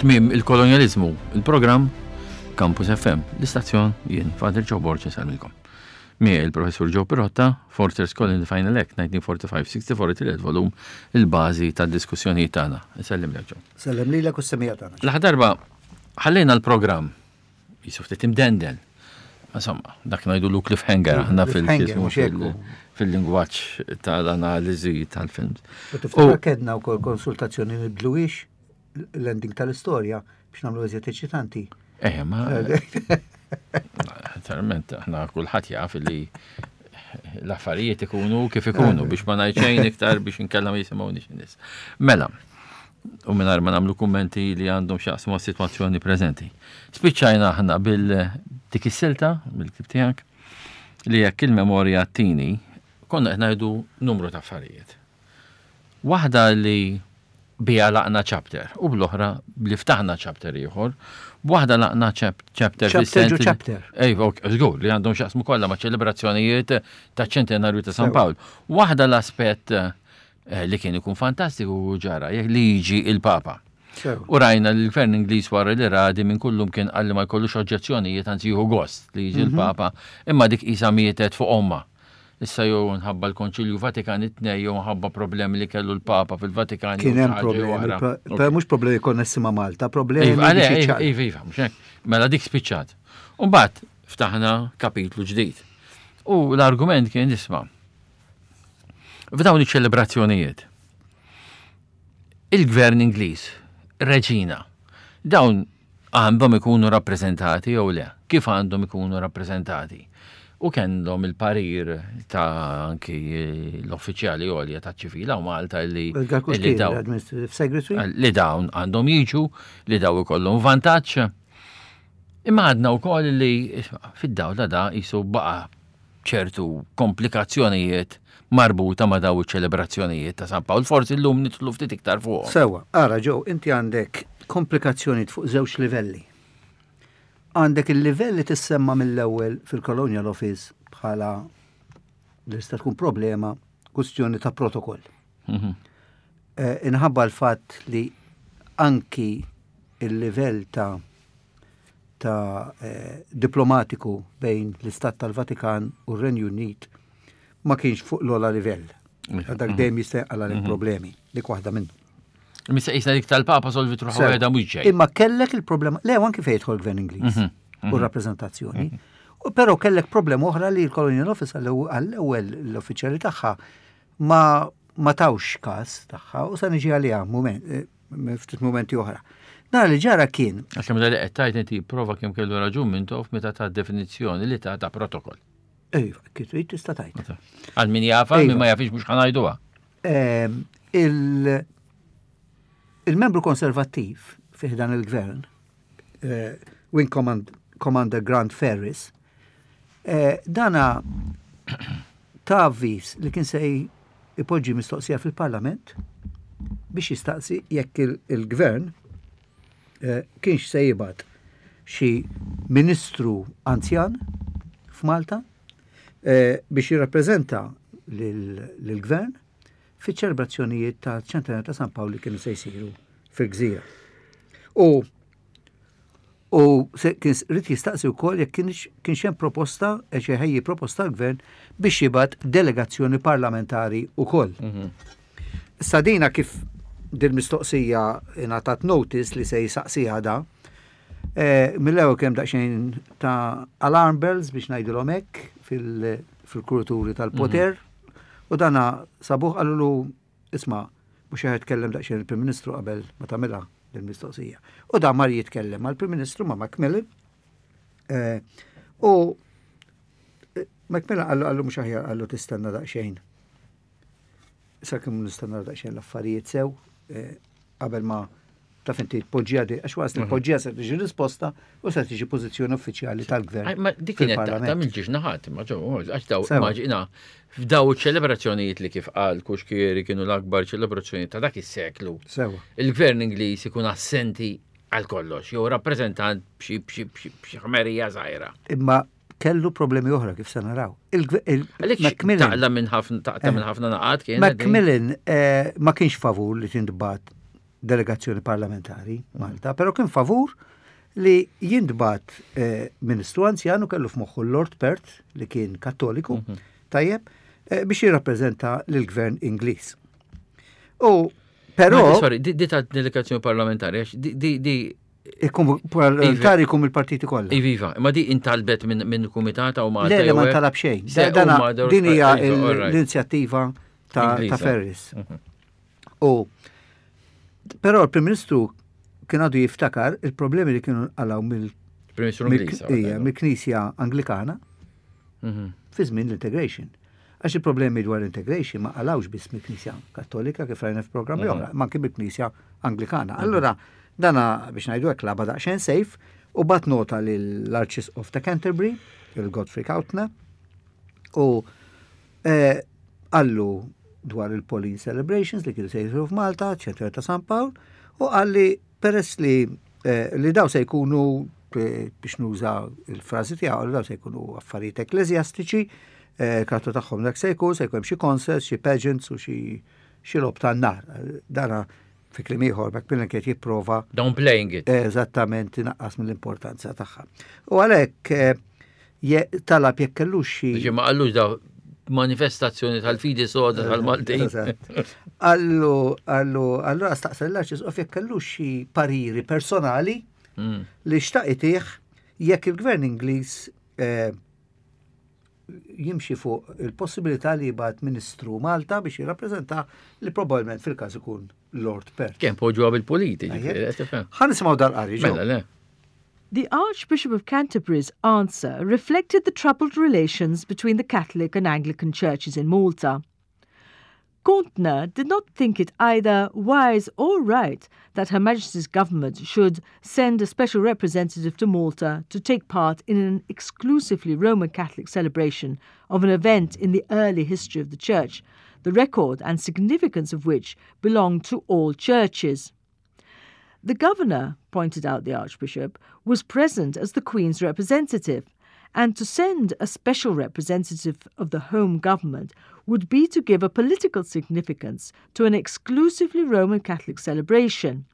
Tmiem il-kolonjaliżmu, il-programm Campus FM, l-istazzjon jien Father Joe Borg insellmilkom. Miegħi il-Professur Joe Pirotta, Fortress Colony Final Act 1945-64 tielet volum, il-bażi tad-diskussjonijiet tagħna. Insellimlek Joe. Sellem lilek u s-semija tagħna. L-aħħar darba ħallejna l-programm jisu ftit imdendel. Insomma, dak ngħidulu cliffhanger aħna fil-lingwaġġ tal-analiżi tal-films. U tiftakar kedna wkoll konsultazzjoni nibdluwix l-ending tal-istorja biex nagħmlu eżiet eċitanti. Eh, ma. Naturalment, aħna kulħadd jaf li l-affarijiet ikunu kif ikunu biex ma ngħid xejn iktar biex inkella ma jisimgħunix in-nies. Mela, u mingħajr ma nagħmlu kummenti li għandhom x'jaqsmu għas-sitwazzjoni preżenti. Spiċċajna aħna bil dik is-silta mill-ktib tiegħek li jekk il-memorja tini konna qed ngħidu numru ta' affarijiet. Waħda li biha laqna chapter u bl-oħra li ftaħna chapter ieħor, b'waħda laqna chapter chapter chapter. Ej, żgur li għandhom x'jaqsmu kollha ma' ċelebrazzjonijiet ta' ċentenarju ta' San Pawl. Waħda l-aspett Eh, li kien ikun fantastiku u ġara, jekk li jiġi il-Papa. U rajna li l-gvern Ingliż wara li radi minn kullum kien qalli ma jkollux oġġezzjonijiet anzi jieħu gost li jiġi mhm. l-Papa, imma dik qisha mietet fuq omma. Issa jew nħabba l-Konċilju Vatikan it-tnej jew nħabba problemi li kellu l-Papa fil-Vatikan. Kien hemm problemi, però mhux problemi konnessi ma' Malta, problemi. Iva, iva, iva, iva, mhux hekk. Mela dik spiċċat. U mbagħad ftaħna kapitlu ġdid. U l-argument kien isma' F'dawn iċ-ċelebrazzjonijiet, il-gvern Ingliż, reġina, dawn għandhom ikunu rappreżentati jew le? Kif għandhom ikunu rappreżentati? U kellhom il-parir ta' anki l-uffiċjali għolja ta' ċivila u Malta li li dawn li dawn għandhom jiġu, li daw ikollhom vantaġġ. Imma għadna wkoll li fid-dawl ta' da jisu baqa' ċertu komplikazzjonijiet marbuta ma' daw iċ-ċelebrazzjonijiet ta' San Pawl. Forsi llum nidħlu ftit iktar fuqhom. Sewwa, ara Joe, inti għandek komplikazzjonijiet fuq żewġ livelli. Għandek il-livell li tissemma mill-ewwel fil-Colonial Office bħala li tista' tkun problema kwistjoni ta' protokoll. Mhm. Eh, inħabba l-fatt li anki il-livell ta' ta' eh, diplomatiku bejn l-Istat tal-Vatikan u r-Renju Unit ma kienx fuq l-ola livell. Dak mhm. dejjem jista' jqala mhm. problemi, dik waħda minnu. Missa jisna dik tal-Papa solvi truħu għeda mhux ġej. Imma kellek il-problema, le anki fejn jidħol gvern Ingliż mhm. u rappreżentazzjoni. Però kellek problema oħra li l-Colonial Office għall-ewwel l-uffiċjali tagħha ma ma tawx każ tagħha u sa niġi għaliha moment eh, ftit mumenti oħra. Nara li ġara kien. Għax meta li qed tgħid inti prova kemm kellu raġun minn tof meta ta' definizzjoni li ta' ta' protokoll. Ejva, kif trid tista' tgħid. Għal min jafa, min ma jafix mhux ħanajduha. Ehm, il-membru konservattiv fih dan il-gvern, eh, Wing Commander Grant Ferris, eh, dana ta' avviż li kien se jpoġġi mistoqsija fil-Parlament biex jistaqsi jekk il-Gvern eh, kienx se jibgħat xi ministru anzjan f'Malta eh, biex jirrappreżenta lill-Gvern fiċ-ċelebrazzjonijiet ta' ċentenarju ta' San Pawl li kienu se jsiru fil-gżira. U U kien rid jistaqsi wkoll jekk kienx hemm proposta, e xi ħejji proposta l-gvern biex jibgħat delegazzjoni parlamentari wkoll. Mhm. Issa dina kif dil-mistoqsija ingħatat notice li se jisaqsiha da, e, mill-ewwel kemm daqsxejn ta' alarm bells biex ngħidilhom hekk fil-kulturi tal-poter mhm. u dana sabuħ qalulu Isma', mhux aħjar tkellem daqsxejn il-Prim Ministru qabel ma tagħmilha din mistoqsija. U dan mar jitkellem mal-Prim Ministru ma' Macmillan. Eh, u eh, Macmillan qallu qallu mhux aħjar qallu tistenna daqsxejn. Sakemm nistenna daqsxejn l-affarijiet sew eh, qabel ma taf inti tpoġġiha di, għax waqt li mhm. tpoġġiha se tiġi risposta u se tiġi pożizzjoni uffiċjali tal-gvern. Ma dik kienet ta' mill-ġiex naħat, ma ġew, għax daw immaġina f'daw ċelebrazzjonijiet li kif qal Kuxkieri kienu l-akbar ċelebrazzjonijiet ta' dak is-seklu. Sewa. Il-gvern Ingliż ikun assenti għal kollox, jew rappreżentant b'xi b'xi b'xi ħmerija żgħira. Imma kellu problemi oħra kif se naraw. Macmillan taqla minn ħafna taqta minn eh. ħafna naqat kien. Macmillan eh, ma kienx favur li tintbat delegazzjoni parlamentari Malta, però kien favur li jintbagħat eh, ministru anzjan u kellu f'moħħu Lord Perth li kien kattoliku, mhm. tajjeb, eh, biex jirrappreżenta lill-gvern Ingliż. U però. Sorry, di ta' delegazzjoni parlamentari, di di Ikun parlamentari jkun mill-partiti kollha. Iviva, ma di intalbet minn kumitata u ma. Le, le ma ntalab xejn. Din hija l-inizjattiva ta' Ferris. Mhm. U però l-Prim Ministru kien għadu jiftakar il-problemi li kienu nqalgħu mill mill-Knisja Anglikana mhm. fi żmien l-integration. Għax il-problemi dwar l-integration ma qalawx biss mill-Knisja Kattolika kif rajna f'programmi mhm. oħra, ma anke mill-Knisja Anglikana. Mhm. Allura dana biex ngħidu hekk laba daqsxejn safe u bat nota lill-Arċisqof ta' Canterbury, il-Godfrey Kautner, u eh, Qallu dwar il-Pauline Celebrations li kienu se jisiru f'Malta, ċentru ta' San Pawl, u qalli peress li eh, li daw se jkunu eh, biex nuża il-frażi tiegħu, li daw se jkunu affarijiet ekkleżjastiċi, eh, karattru tagħhom dak se jkun, se jkun hemm xi concerts, xi pageants u xi xi lob tan-nar. Dana fi kliem ieħor Macmillan kien jipprova downplaying it. Eżattament inaqqas mill-importanza tagħha. U għalhekk eh, talab jekk kellux xi. Ġi ma qallux daw manifestazzjoni tal-fidi soda tal-Maltin. Allu, allu, allura staqsa l-arċisqof jekk kellux xi pariri personali mm. li xtaq itih jekk il-gvern Ingliż eh, jimxi fuq il-possibilità li jibgħat ministru Malta biex jirrappreżenta li probabbilment fil-każ ikun Lord Perth. Kemm poġġuha bil-politi, ġifieri, Ħa nisimgħu dal-qari. Mela, le. The Archbishop of Canterbury's answer reflected the troubled relations between the Catholic and Anglican churches in Malta. Gauntner did not think it either wise or right that Her Majesty's government should send a special representative to Malta to take part in an exclusively Roman Catholic celebration of an event in the early history of the Church, the record and significance of which belong to all churches. The governor, pointed out the Archbishop, was present as the Queen's representative, and to send a special representative of the home government would be to give a political significance to an exclusively Roman Catholic celebration.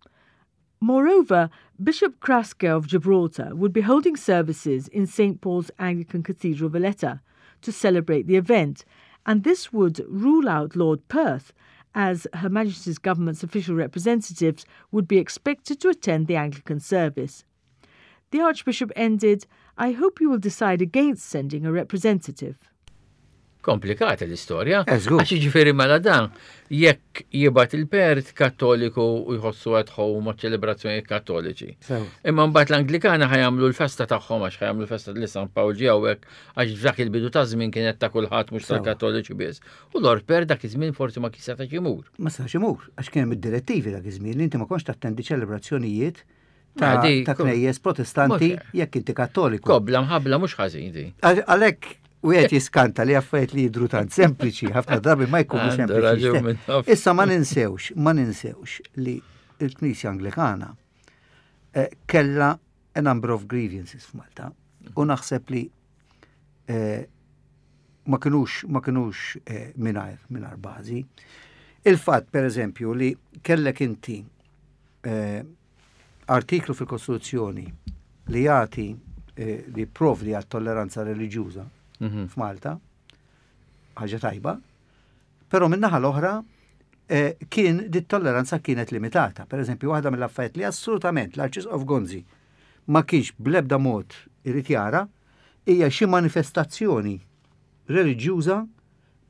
Moreover, Bishop Kraske of Gibraltar would be holding services in St. Paul's Anglican Cathedral, Valletta, to celebrate the event, and this would rule out Lord Perth, as Her Majesty's government's official representatives would be expected to attend the Anglican service. The Archbishop ended, I hope you will decide against sending a representative. Komplikata l-istorja. Għax ġifieri mela dan, jekk jibgħat il-Pert Kattoliku u jħossu at home ma' ċelebrazzjoni kattoliċi. Imma mbagħad l-Anglikana ħajamlu l-festa tagħhom għax ħajamlu l-festa li San Pawl ġie hawnhekk għax f'dak il-bidu ta' żmien kienet ta' kulħadd mhux tal-Kattoliċi biss. U Lord Per dak iż-żmien forsi ma kien setax imur. Ma setax imur, għax kien hemm id-direttivi dak iż-żmien li inti ma kontx tattendi ċelebrazzjonijiet ta' ta' knejjes protestanti jekk inti kattoliku. Kobla mħabla mhux ħażin di. Għalhekk wieħed jiskanta li affarijiet li jidru tant sempliċi, ħafna drabi ma jkunu sempliċi. Issa ma ninsewx, ma ninsewx li l-Knisja Anglikana eh, kella a number of grievances f'Malta u naħseb li eh, ma kinux ma kinux eh, mingħajr mingħajr bażi. Il-fatt per eżempju li kellek inti eh, artiklu fil-Kostituzzjoni li jagħti eh, li jipprovdi għat tolleranza reliġjuża mhm. f'Malta, ħaġa tajba, però min-naħa l-oħra eh, kien dit tolleranza kienet limitata. Per eżempju, waħda mill-affarijiet li assolutament l-Arċisqof Gonzi ma kienx bl-ebda mod irid jara hija xi manifestazzjoni reliġjuża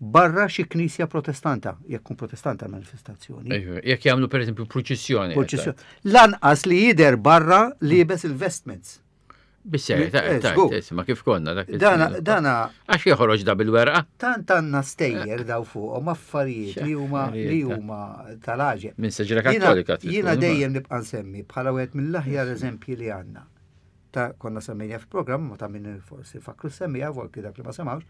barra xi knisja protestanta, jekk kun protestanta manifestazzjoni. Jekk jagħmlu pereżempju pruċissjoni. Pruċissjoni. Lanqas li jidher barra liebes il-vestments. Bisser, ta' eh, ma kif konna dak. Dana, dana. Għax joħroġ da bil-werqa. Tant għandna stejjer daw fuqhom affarijiet li huma li huma tal-għaġeb. Minn seġra kattolika. Jiena dejjem nibqa' nsemmi bħala wieħed mill-aħjar eżempji li għandna. ta' konna semmejja fil-programm, ma ta' min forsi fakru semmija, volki dak li ma semawx,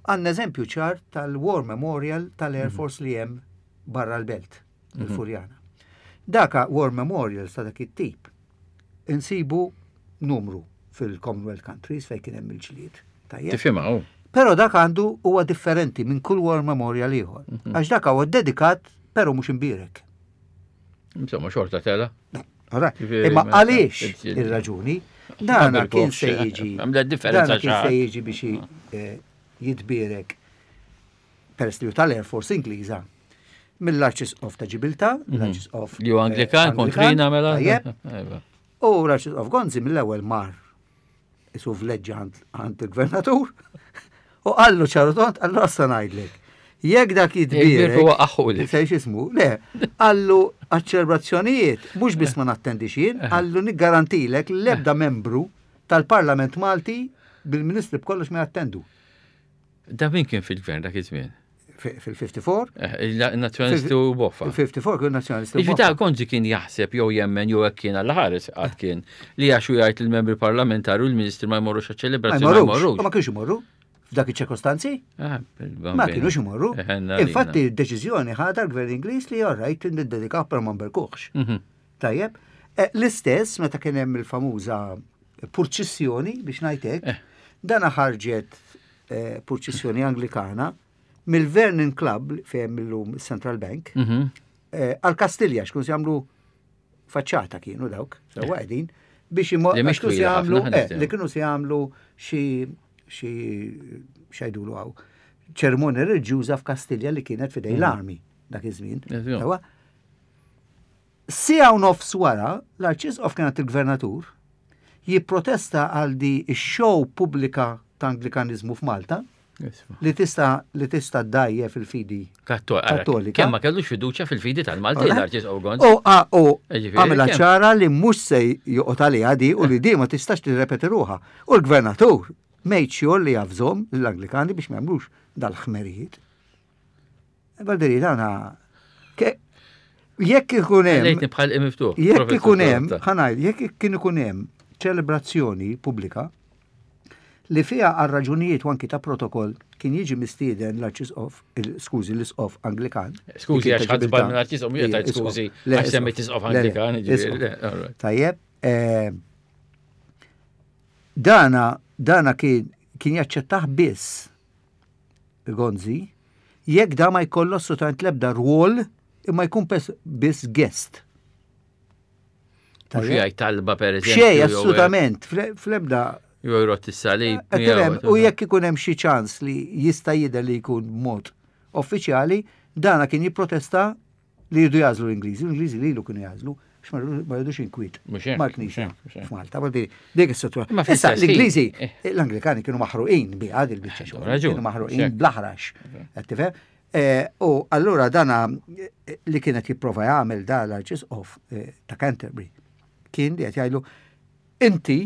għandna eżempju ċar tal-War Memorial tal-Air mhm. Force li hemm barra l-belt, mhm. il-Furjana. Daka War Memorials ta' dak it-tip insibu numru fil-Commonwealth countries fejn kien hemm il-ġlied. Tifhimha oh. Però dak għandu huwa differenti minn kull War Memorial ieħor. Mhm. Għax dak huwa dedikat però mhux imbierek. Insomma, xorta tela. Imma għaliex ir-raġuni, dana kien se jiġi. Dana kien se jiġi biex eh, jitbierek peress li tal-Air Force Ingliża mill-Arċisqof ta' Ġibilta, mhm. l-Arċisqof. Li Anglikan, eh, kontrina mela. U l-Arċisqof Gonzi mill-ewwel mar isu vleġġa għand il-gvernatur u qallu ċaru tont, qallu għassa ngħidlek. Jekk dak jitbierek. Sejx ismu, le, qallu għaċ-ċelebrazzjonijiet, mhux biss ma nattendix jien, qallu niggarantilek l-ebda membru tal-Parlament Malti bil-ministri b'kollox ma jattendu. Da min kien fil-gvern dak iż-żmien? Fil-54. Eh, Nazzjonalisti u boffa. Fil-54 kien nazzjonalisti u boffa. Ta' Gonzi kien jaħseb jew jemmen jew hekk kien għal ħares qatt kien li għax u jgħid il-membri parlamentari u l-ministri ma jmorrux għaċ-ċelebrazzjoni. Ma jmorrux. Ma kienx imorru f'dak iċ-ċirkostanzi? Ah, ma kienux imorru. Eh, Infatti, d-deċiżjoni ħadha l-gvern Ingliż li orrajt niddedikaw per ma nberkuħx. Mhm. Tajjeb, eh, l-istess meta kien hemm il-famuża purċissjoni biex ngħid hekk, eh. dana ħarġet eh, purċissjoni Anglikana mill-Vernon Club fejn illum Central Bank mhm. għal Kastilja xkun se jagħmlu faċċata kienu dawk, sewwa qegħdin biex kienu se jagħmlu li kienu se jagħmlu xi xi xajdulu għaw ċermonja reliġjuża f'Kastilja li kienet fidej mhm. l-armi dak iż-żmien. Siegħa u nofs wara, l-Arċisqof kien għand il-Gvernatur jipprotesta għal di x-show pubblika ta' Anglikaniżmu f'Malta li tista' li tista' ddgħajjef il-fidi Kattolika. Kemm ma kellux fiduċja fil-fidi tal-Maltin l-Arċisqof Gonzi. U għamilha ċara li mhux se joqgħod għaliha di u li di ma tistax tirrepeti ruħha. U l-Gvernatur made sure li javżhom lill-Anglikani biex ma jagħmlux dal-ħmerijiet. Valderi, dana, jekk ikun hemm. Lejtni bħal miftuħ. Jekk ikun hemm, ħanaj, jekk kien ikun hemm ċelebrazzjoni pubblika li fiha għal raġunijiet u anki ta' protokoll kien jiġi mistieden l-arċisqof, skużi, l-isqof Anglikan. Skużi, għax ħadd żball minn arċisqof, mhux qed skużi, għax semmejt isqof Anglikan. Tajjeb, eh, dana dana kien kien jaċċettah biss Gonzi, jekk da ma jkollu assolutament l-ebda rwol imma jkun biss guest. Mhux jgħid talba per eżempju. Xej, assolutament, fl-ebda. Jew jrott is-salib. U jekk ikun hemm xi ċans li jista' jidher li jkun mod uffiċjali, dana kien jipprotesta li jridu jażlu l-Ingliżi, l-Ingliżi lilu kienu jażlu, biex ma jridux inkwiet mal-Knisja f'Malta. Dik is-sitwazzjoni. Issa l-Ingliżi, eh. l-Anglikani kienu maħruqin bi għad il-biċċa xogħol, kienu maħruqin bl-aħrax. Qed tifhem? Eh, u allura dana eh, li kienet jipprova jagħmel da l-Arċisqof ta' Canterbury kien li qed jgħidlu inti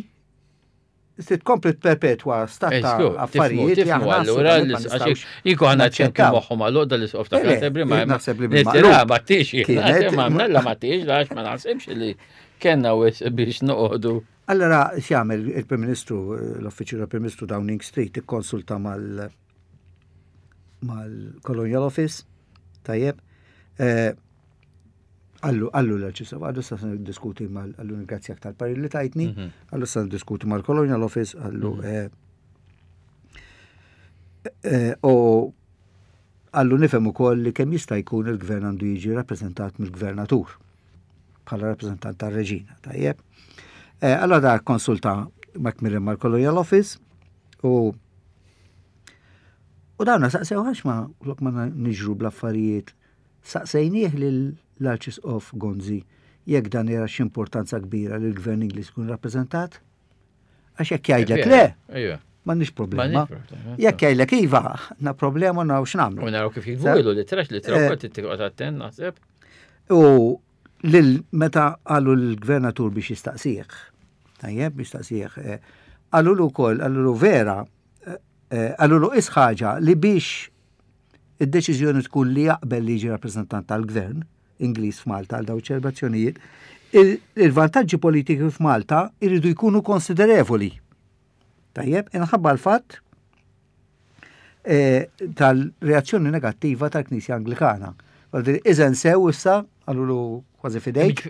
Se tkompli tperpetwa stat ta' affarijiet li aħna allura jieku ħana ċempi moħħu ma l l-isqof ta' Canterbury ma naħseb li bil-maqlub. Ma tix, ma mnella ma tix, għax ma naħsibx li kenna wis biex noqogħdu. Allora x'jagħmel il-Prim Ministru, l-Uffiċċju tal-Prim Ministru Downing Street ikkonsulta mal mal-Colonial Office, tajjeb, eh, Għallu, għallu l-arċisqof, għallu sa diskuti mal, għallu ningrazzjak tal-parir li tajtni, mhm. għallu sa diskuti mal-Colonial Office, għallu, mhm. eh, eh, u għallu nifhem ukoll li kemm jista' jkun il-gvern għandu jiġi rappreżentat mill-gvernatur bħala rappreżentant tar-reġina, tajjeb. Eh, allora da konsulta Macmillan mal-Colonial Office u u dawna saqsew għax ma lok ma niġru bl-affarijiet Saqsejnieh lill-Arċisqof Gonzi jekk dan jara x'importanza kbira li l-Gvern Ingliż ikun rappreżentat. Għax jekk jgħidlek le, m'għandniex problema. Jekk jgħidlek iva, għandna problema naraw x'nagħmlu. U naraw kif jiktbu l-ittra, l-ittra wkoll trid attent naħseb. U lil meta qalu l-gvernatur biex jistaqsih, tajjeb biex jistaqsih, eh, qalulu wkoll, qalulu vera, eh, eh, qalulu is ħaġa li biex id-deċiżjoni tkun li jaqbel li jiġi rappreżentant tal-gvern Ingliż f'Malta għal dawn iċ-ċelebrazzjonijiet, il-vantaġġi politiki f'Malta jridu jkunu konsiderevoli. Tajjeb, inħabba l-fatt eh, tal-reazzjoni negattiva tal-Knisja Anglikana. Iżen sew issa, għalulu kważi fidejk.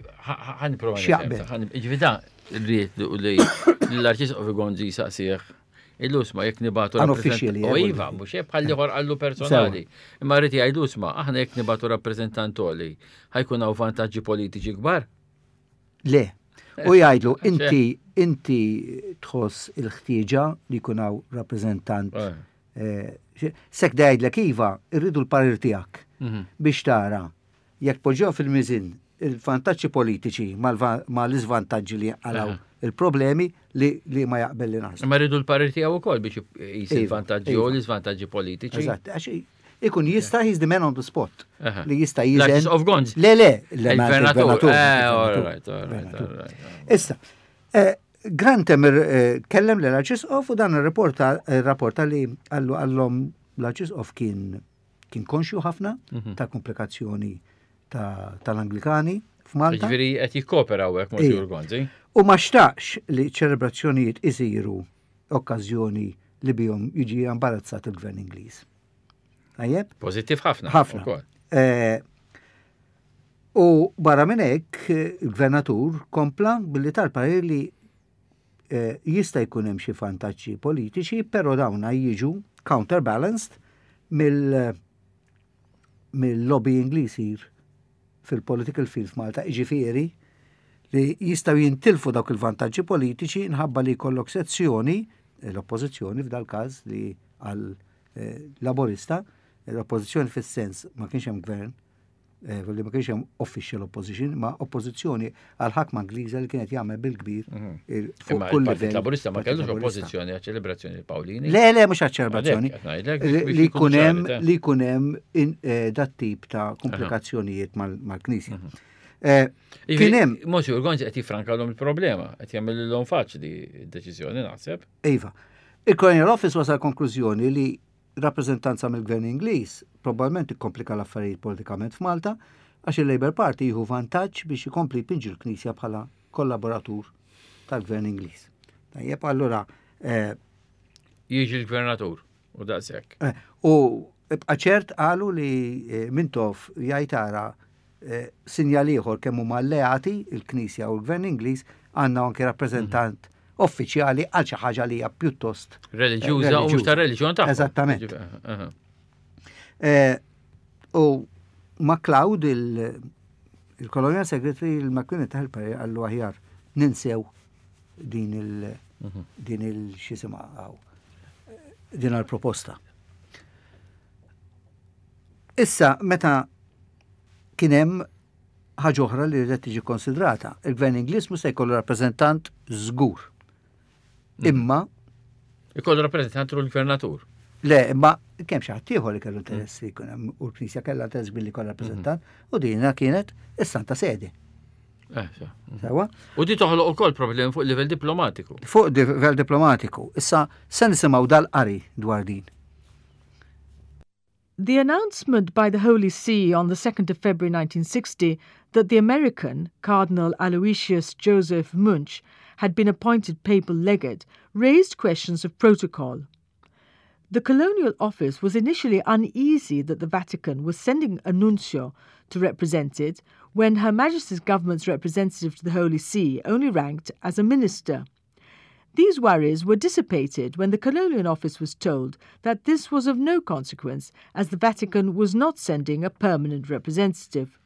Ħan prova. Ġifieri rrid li l-Arċisqof Gonzi saqsih. Illu isma' jekk nibatu rappreżentant. U iva, mhux hekk bħal ieħor qallu personali. Imma rrid jgħidu isma' aħna jekk nibatu rappreżentant għoli, ħajkun hawn vantaġġi politiċi kbar? Le. U jgħidlu inti inti tħoss il-ħtieġa li jkun hawn rappreżentant. Eh. Eh, sek jgħidlek iva, irridu l-parir tiegħek mhm. biex tara Jekk poġġew fil-miżien il-vantaġġi politiċi mal-iżvantaġġi li jinqalgħu il-problemi li li ma jaqbel li naħsbu. Imma rridu l-parir tiegħu wkoll biex jqis iva, il-vantaġġi u iva. l-iżvantaġġi politiċi. Eżatt, għax ikun jista' he's the man on the spot. Li jista' jiżen. Of Guns. Le, le, il-gvernatur. Eh, Issa, eh, Grant eh, kellem l-Arċisqof u dan ir-rapporta li għallu għallhom l-Arċisqof kien Kien konxju ħafna mhm. ta' komplikazzjoni tal-Anglikani f'Malta. Ġifieri qed jikkopera hawnhekk Monsignor Gonzi. U ma xtaqx li ċelebrazzjonijiet isiru okkażjoni li bihom jiġi imbarazzat il-gvern Ingliż. Tajjeb? Pożittiv ħafna. Ħafna. Eh, u barra minn hekk il-gvernatur kompla billi tal-parir li Jista' jkun hemm xi vantaġġi politiċi, però dawna jiġu counterbalanced mill mill-lobbying li jsir fil-political field f'Malta, jiġifieri li jistgħu jintilfu dawk il-vantaġġi politiċi nħabba li jkollok sezzjoni, l-oppożizzjoni f'dal-każ li għal eh, laborista, l-oppożizzjoni fis-sens ma kienx hemm gvern, Eh, li ma kienx hemm official opposition, ma oppożizzjoni għal ħakma Ingliża li kienet jagħmel bil-kbir mhm. fuq kull livell. Laburista ma kellux oppożizzjoni għal ċelebrazzjoni Pawlini. Le, le, mhux għal ċelebrazzjoni. Li jkun hemm li jkun hemm eh, dat tip ta' komplikazzjonijiet mal-Knisja. Mhm. Eh, kien hemm. Monsignor Gonzi qed jifrankalhom il-problema, qed jagħmilhom faċli d-deċiżjoni naħseb. Iva. Il-Colonial Office wasal konklużjoni li rappreżentanza mill-Gvern Ingliż probabbilment ikkomplika l-affarijiet politikament f'Malta għax il-Labour Party jieħu vantaġġ biex ikompli jpinġi l-Knisja bħala kollaboratur tal-Gvern Ingliż. Tajjeb, allura. Eh, Jiġi l-Gvernatur u daqshekk. Eh, u ibqa' ċert qalu li eh, Mintoff jgħid ara sinjal ieħor kemm huma alleati il-Knisja u l-Gvern Ingliż għandna anke rappreżentant uffiċjali għal xi ħaġa li hija pjuttost reliġjuża u mhux ta' reliġjon tagħhom. Eżattament. Eh, u MacLeod il-Colonial Secretary il-McQueen ta' il għallu aħjar ninsew din il mhm. din il-xisima din għal-proposta. Issa, meta kien hemm ħaġa oħra li rridet tiġi konsidrata. Il-Gvern Ingliż mhux se jkollu rappreżentant żgur. Mm. Imma Ikollu rappreżentant u l-gvernatur. Le, imma kemm xi ħadd ieħor li kellu interess li jkun hemm u l-Knisja kellha interess billi jkollha rappreżentant mm. u dina kienet is-Santa Sede. Eh, Sewa? U di toħloq ukoll problemi fuq livell diplomatiku. Fuq livell diplomatiku. Issa se nisimgħu dal-qari dwar din. The announcement by the Holy See on the 2nd of February 1960 that the American, Cardinal Aloysius Joseph Munch, had been appointed papal legate raised questions of protocol. The Colonial Office was initially uneasy that the Vatican was sending a nuncio to represent it when Her Majesty's government's representative to the Holy See only ranked as a minister. These worries were dissipated when the Colonial Office was told that this was of no consequence as the Vatican was not sending a permanent representative.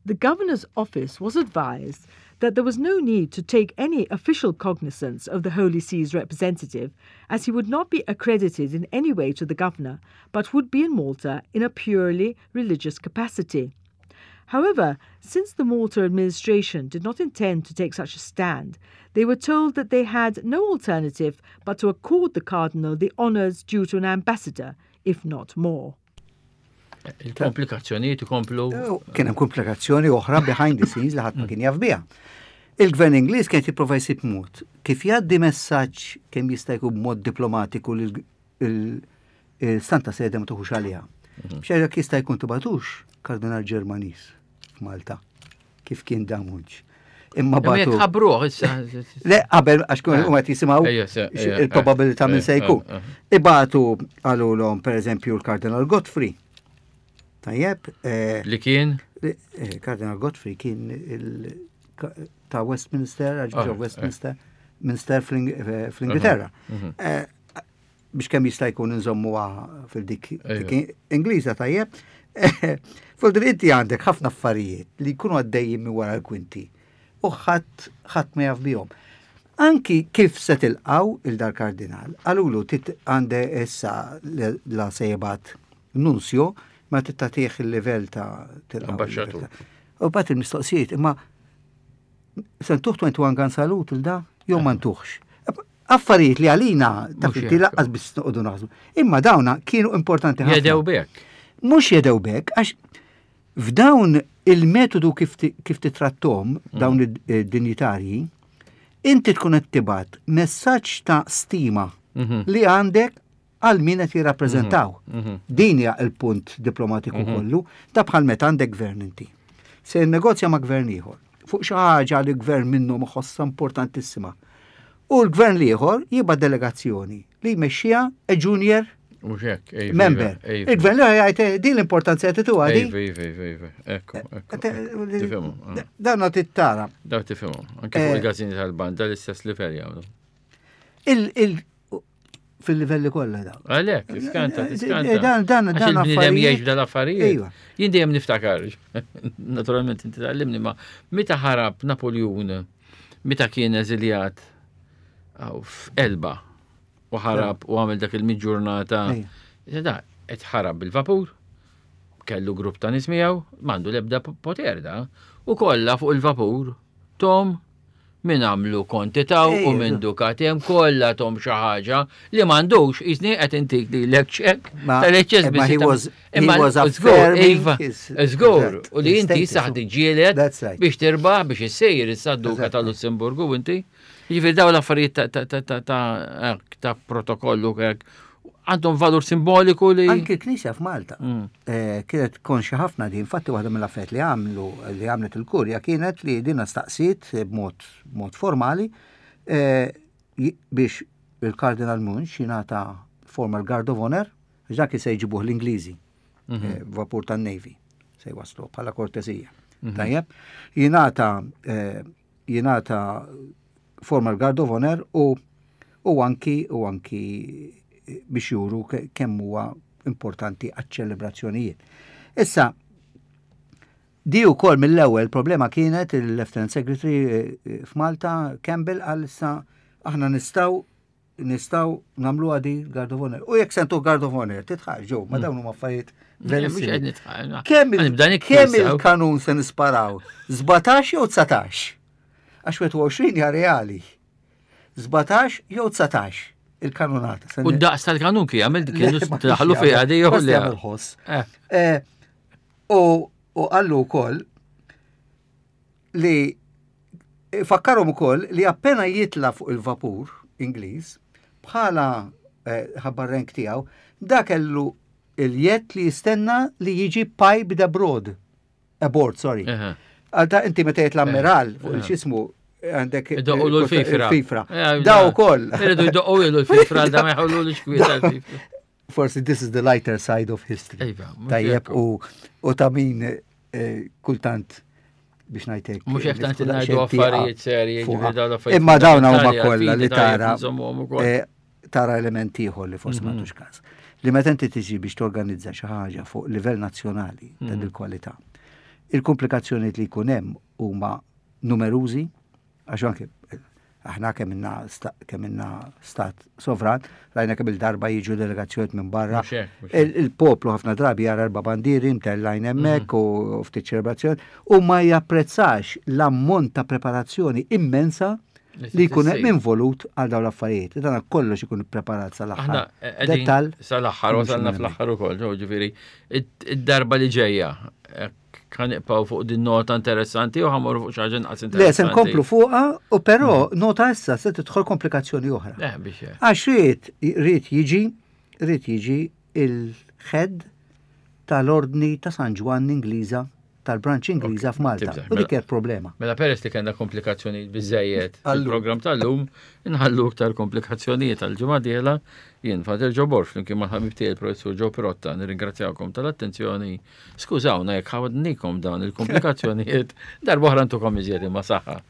The governor's office was advised that there was no need to take any official cognizance of the Holy See's representative, as he would not be accredited in any way to the governor, but would be in Malta in a purely religious capacity. However, since the Malta administration did not intend to take such a stand, they were told that they had no alternative but to accord the cardinal the honours due to an ambassador, if not more. Il-komplikazzjonijiet ikomplu. Eh, kien hemm komplikazzjoni oħra behind the scenes li ħadd ma kien jaf biha. Il-gvern Ingliż kien jipprova jsib mod kif jgħaddi messaġġ kemm jista' jkun b'mod diplomatiku lil il-Santa Sede ma tuħux għaliha. Mhm. Biex jekk jista' jkun tibatux kardinal Ġermaniż f'Malta kif kien Damunġ. Imma batu. Ħabruh issa. Le, qabel għax kun huma jisimgħu il-probabilità minn se jkun. Ibatu għalulhom pereżempju l-Kardinal Godfrey. Tajjeb. Eh, Li kien? Eh, Kardinal Godfrey kien ta' Westminster, Archbishop ah, Westminster, Minster fl-Ingilterra. Mhm. Biex kemm jista' jkun inżommuha fil-dik Ingliża tajjeb. Fuq inti għandek ħafna affarijiet li jkunu għaddejjin minn wara l-kwinti u ħadd ħadd ma jaf bihom. Anki kif se tilqgħu 'il dal-kardinal, qalulu tit għande issa la se jibgħat nunzio ma trid tagħtih il-livell ta' tilqgħu. Ambaxxatur. U bat il-mistoqsijiet, imma se ntuh 21 gun salute il da jew ma ntuħx. Affarijiet li għalina ta' inti laqqas biss noqogħdu naħsbu. Imma dawna kienu importanti ħafna. Jedew bek. Mhux jedew bek għax f'dawn il-metodu kif kif titrattom dawn id-dinjitarji, inti tkun qed tibgħat messaġġ ta' stima li għandek għal min qed jirrappreżentaw. Din hija l-punt diplomatiku kollu, ta' bħal meta għandek gvern inti. Se jinnegozja ma' gvern ieħor fuq xi ħaġa li gvern minnhom iħossha importantissima. U l-gvern l-ieħor jibgħat delegazzjoni li jmexxiha a junior member. Il-gvern li jgħid eh, din l-importanza qed tituha di. Iva, iva, iva, iva. Ekku, ekku. Tifhimhom. Ah. Dan tittara. Daw tifhimhom. Anke fuq eh. il-gazzini tal-banda l-istess livell jagħmlu. Fil-livelli kollha dawn. Għalhekk, iskanta, eh, tiskanta. Dan dan dan il-bniedem jgħix dal-affarijiet. Iva. Jien dejjem niftakar, naturalment inti tgħallimni ma meta ħarab Napoljun, meta kien eżiljat f'Elba u ħarab u għamel dak il-miġġurnata. Da, qed ħarab bil-vapur, kellu grupp ta' nies miegħu, m'għandu l-ebda poter da, u kollha fuq il-vapur, Tom, min għamlu konti taw u minn dukat hemm kollha tom xi ħaġa li m'għandux jisni qed intik lilek ċekk tal-eċċess biss. Imma żgur, iva, żgur, u li inti saħ tiġġieled biex tirbaħ biex issejjer issa duka tal-Lussemburgu inti. Jiġifieri dawn l-affarijiet ta' protokollu hekk għandhom valur simboliku li. Anki l-Knisja f'Malta mm. eh, kienet konxja ħafna di, infatti waħda mill-affarijiet li għamlu li għamlet il-kurja kienet li dina staqsiet b'mod mod formali eh, biex il-Kardinal Munch jingħata formal guard of honor, għax dak se jġibuh l-Ingliżi, mhm. eh, vapur tan-Navy, se jwaslu bħala kortesija. Mhm. Tajjeb, jingħata jingħata formal guard of honor u u anki u anki biex juru kemm huwa importanti għaċ-ċelebrazzjonijiet. Issa, di wkoll mill-ewwel problema kienet il-Lieutenant Secretary eh, eh, f'Malta Campbell għal issa aħna nistgħu nistgħu nagħmluha di Guard of Honor. U jekk sentu Guard of Honor, titħaq ġew, ma hmm. dawn huma affarijiet very Kemm il-kanun se nisparaw? 17 jew 19? Għax 21 hija reali. 17 jew 19 il-kanunata. U daqs tal-kanun kien għamil kienu daħlu fiha di jew le. Eh. Eh, u qallu wkoll li Fakkarhom ukoll li appena jitla' fuq il-vapur Ingliż, bħala eh, ħabba r-rank tiegħu, da kellu il-jett li jistenna li jiġi piped abroad. Aboard, sorry. Għal inti meta jitla' ammiral fuq il-xismu għandek Idoqqu l-fifra. Il-fifra. Da ukoll. Iridu jdoqqu l-fifra da ma jħollu l-xkwiet għal-fifra. Forsi this is the lighter side of history. Iva, Tajjeb u ta' min eh, kultant biex ngħidlek. Mhux hekk tant ngħidu affarijiet serji, Imma dawn huma kollha li tara eh, tara element ieħor li forsi ma mhm. tux każ. Li meta inti tiġi biex torganizza xi ħaġa fuq livell nazzjonali ta' mhm. il-kwalità. Il-komplikazzjonijiet li jkun hemm huma numerużi, Għax anke aħna kemm inna kemm inna stat sovran, rajna kemm il-darba jiġu delegazzjonijiet minn barra. Il-poplu ħafna drabi jara erba' bandieri mtellajn hemmhekk mhm. u ftit ċelebrazzjoni u ma japprezzax l-ammont ta' preparazzjoni immensa li jkun hemm involut għal dawn l-affarijiet. Dan kollox ikun ippreparat sal-aħħar. Eh, Dettal. Sal-aħħar, wasalna fl-aħħar ukoll, ġifieri id-darba li ġejja Kan nibqgħu fuq din nota interessanti u ħamorru fuq xi ħaġa inqas interessanti. Le, se nkomplu fuqha u però mm. nota issa se tidħol komplikazzjoni oħra. Eh, biex Għax ried ried jiġi ried jiġi il-head tal-Ordni ta' San Ġwann Ingliża tal-branch Ingliża f'Malta. U dik kienet problema. Mela peress li kellna komplikazzjonijiet biżejjed fil-programm tal-lum, inħallu iktar komplikazzjonijiet għal ġimgħa dieħla. Jien Father Joe Borg flimkien mal-ħabib tiegħi il-Professur Joe Pirotta nirringrazzjakom tal-attenzjoni. Skużawna jekk ħadnikom dawn il-komplikazzjonijiet, darba oħra ntukom iżjed imma saħħa.